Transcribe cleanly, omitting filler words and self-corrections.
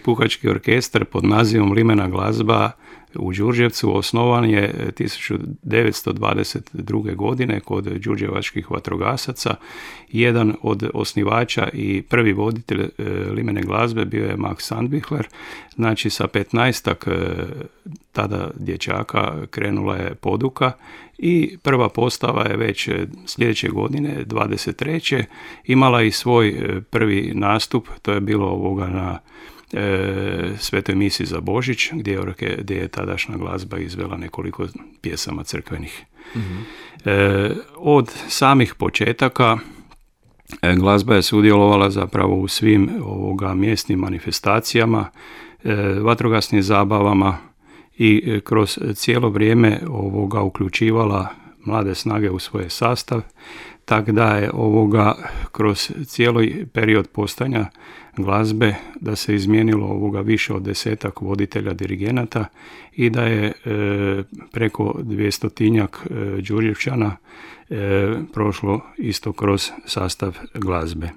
Puhački orkestar pod nazivom Limena glazba u Đurđevcu osnovan je 1922. godine kod đurđevačkih vatrogasaca. Jedan od osnivača i prvi voditelj Limene glazbe bio je Max Sandbichler. Znači sa 15-ak tada dječaka krenula je poduka i prva postava je već sljedeće godine, 23. imala i svoj prvi nastup, to je bilo na Svetoj misi za Božić, gdje je tadašnja glazba izvela nekoliko pjesama crkvenih. Mm-hmm. Od samih početaka glazba je sudjelovala zapravo u svim mjesnim manifestacijama, vatrogasnim zabavama i kroz cijelo vrijeme uključivala mlade snage u svoj sastav, tako da je kroz cijeli period postojanja glazbe da se izmijenilo više od 10 voditelja dirigenata i da je preko 200-tinjak Đurđevčana prošlo isto kroz sastav glazbe.